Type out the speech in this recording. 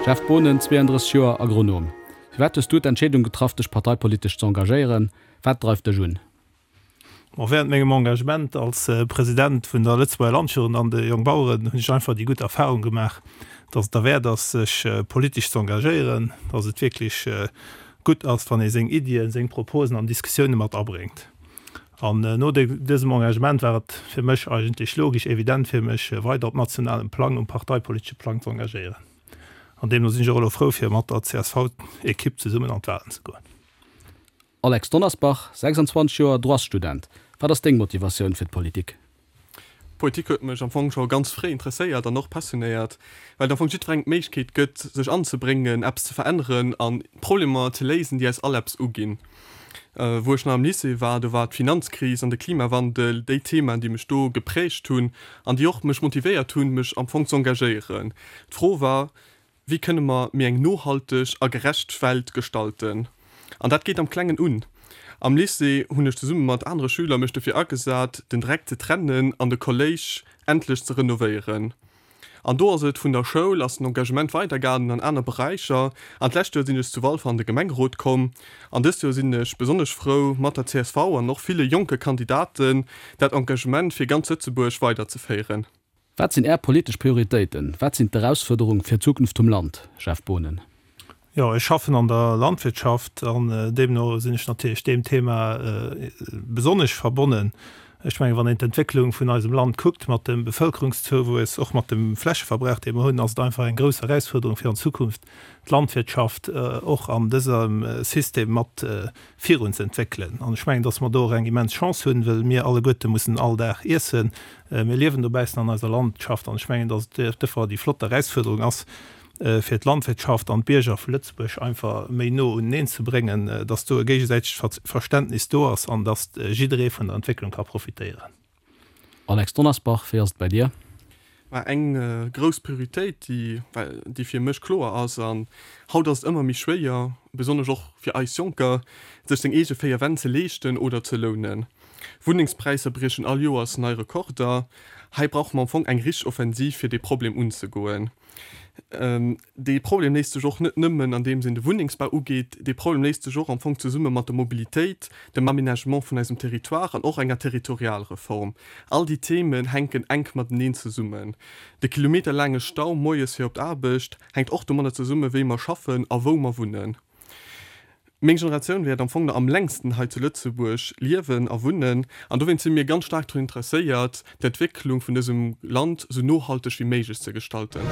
Jeff Boonen, 32 Joer, Agronom. Firwat hues du d'Entscheedung getraff, dech parteipolitesch ze engagéieren? Wat dreift dech un? Bon, während mengem Engagement als President vun der Lëtzebuerger Landjugend an de Jongbaueren hunn ech einfach déi gutt Erfahrung gemaach, dass et derwäert ass, sech politesch ze engagéieren, dass et wierklech gutt ass, wann ee seng Iddien, seng Proposen an Diskussioune mat abréngt. An no dësem Engagement war et fir mech eigentlech logesch, evident fir mech, weider op nationalem Plang, um parteipolitesche Plang ze engagéieren. An deemno sinn ech och elo frou, fir mat der CSV-Ekipp zesummen an d'Wahlen ze goen. Alex Donnersbach, 26 Joer, Droitsstudent, Wat ass deng Motivatioun fir d'Politik? D'Politik huet mech am Fong scho ganz fréi interesséiert an och passionéiert, well et am Fong jiddwerengem d'Méiglechkeet gëtt, sech anzebréngen, eppes ze veränneren an Problemer ze léisen, déi eis all eppes uginn. Wou ech nach am Lycée war, do war d'Finanzkris an de Klimawandel déi Themaen, déi mech do geprägt hunn an déi och mech motivéiert hunn, mech am Fong z'engagéieren. D'Fro war, Wéi kënne mer méi eng nohalteg a gerecht Welt gestalten? An dat geet am Klengen un. Am Lycée hunn ech zesumme mat anere Schüler mech dofir agesat, den Dreck ze trennen an de Kolléisch endlech ze renovéieren. An do ass et vun der Schoul ass den Engagement weidergaangen an aner Beräicher. An d'lescht Joer sinn ech zu Walfer an de Gemengerot komm. An dëst Joer sinn ech besonnesch frou, mat der csv an och ville jonke Kandidaten dat Engagement fir ganz Lëtzebuerg weiderzeféieren. Wat sinn Är politesch Prioritéiten? Wat sinn d'Erausfuerderung fir d'Zukunft vum Land? Jeff Boonen. Jo, ech schaffen an der Landwirtschaft an deemno sinn ech natierlech deem Thema besonnesch verbonnen. Ech mengen, wann een d'Entwécklung vun eisem Land kuckt, mat dem Bevëlkerungszouwuess, och mat dem Flächeverbrauch, dee mer hunn, ass et einfach eng grouss Erausfuerderung fir an Zukunft d'Landwirtschaft och an dësem System mat virunzëentwéckelen. An ech mengen, dass mer do och eng immens Chance hunn, well mir alleguerte mussen all Dag iessen. Mir liewen dobaussen an eiser Landschaft an ech mengen, dass et duerfir déi flott Erausfuerderung ass, fir d'Landwirtschaft an d'Bierger vu Lëtzebuerg einfach méi no uneneen ze bréngen, dass do e géigesäitegt Verständnis do ass an dass jidderee vun der Entwécklung ka profitéieren. Alex Donnersbach, wéi ass et bei dir? Mä eng grouss Prioritéit, déi, déi fir mech kloer ass, an haut ass et ëmmer méi schwéier, besonnesch och fir eis Jonker, sech seng eege 4 Wänn ze leeschten oder ze lounen. Wunnengspräisser briechen all Joers nei Rekorder. Hei brauche mer am Fong eng richteg Offensiv, fir dee Problem unzegoen. Dee Problem léist sech och net nëmmen, andeems een de Wunnengsbau ugeet. Dee Problem léist sech och am Fong zesumme mat der Mobilitéit, dem Aménagement vun eisem Territoire an och enger Territorialreform. All déi Themen hänken enk mateneen zesummen. De kilometerlaange Stau moies fir op d'Aarbecht hänkt och domadder zesummen, wéi mer schaffen a wou mer wunnen. Meng Generatioun wäert am Fong nach am längsten hei zu Lëtzebuerg liewen a wunnen an dowéinst si mir ganz staark drun interesséiert, d'Entwécklung vun dësem Land sou nohalteg wéi méiglech ze gestalten.